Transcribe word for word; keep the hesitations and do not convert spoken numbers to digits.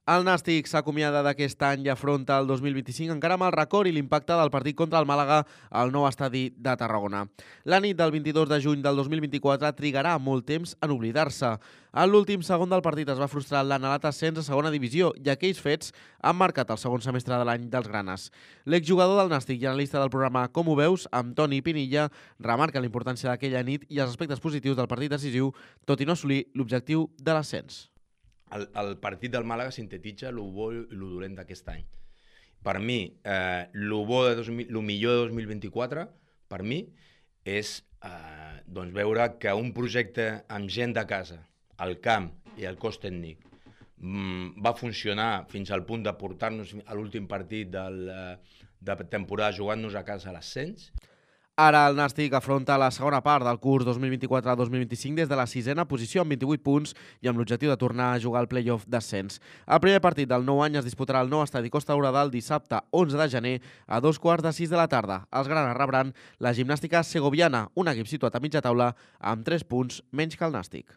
El Nàstic s'acomiada d'aquest any i afronta el dos mil vint-i-cinc encara amb el record i l'impacte del partit contra el Màlaga al nou estadi de Tarragona. La nit del vint-i-dos de juny del dos mil vint-i-quatre trigarà molt temps en oblidar-se. En l'últim segon del partit es va frustrar l'anhelat ascens a segona divisió i aquells fets han marcat el segon semestre de l'any dels granes. L'exjugador del Nàstic i analista del programa Com ho veus, amb Toni Pinilla, remarca la importància d'aquella nit i els aspectes positius del partit decisiu, tot i no assolir l'objectiu de l'ascens. El, el partit del Màlaga sintetitza el bo i el dolent d'aquest any. Per mi, eh, el bo de dos mil, el millor de dos mil vint-i-quatre, per mi, és eh, doncs veure que un projecte amb gent de casa, al camp i al cos tècnic, mm, va funcionar fins al punt de portar-nos a l'últim partit del, de temporada jugant-nos a casa a l'ascens. Ara el Nàstic afronta la segona part del curs dos mil vint-i-quatre dos mil vint-i-cinc des de la sisena posició amb vint-i-vuit punts i amb l'objectiu de tornar a jugar al play-off d'ascens. El primer partit del nou any es disputarà al nou estadi Costa Daurada el dissabte onze de gener a dos quarts de sis de la tarda. Els granes rebran la Gimnàstica Segoviana, un equip situat a mitja taula amb tres punts menys que el Nàstic.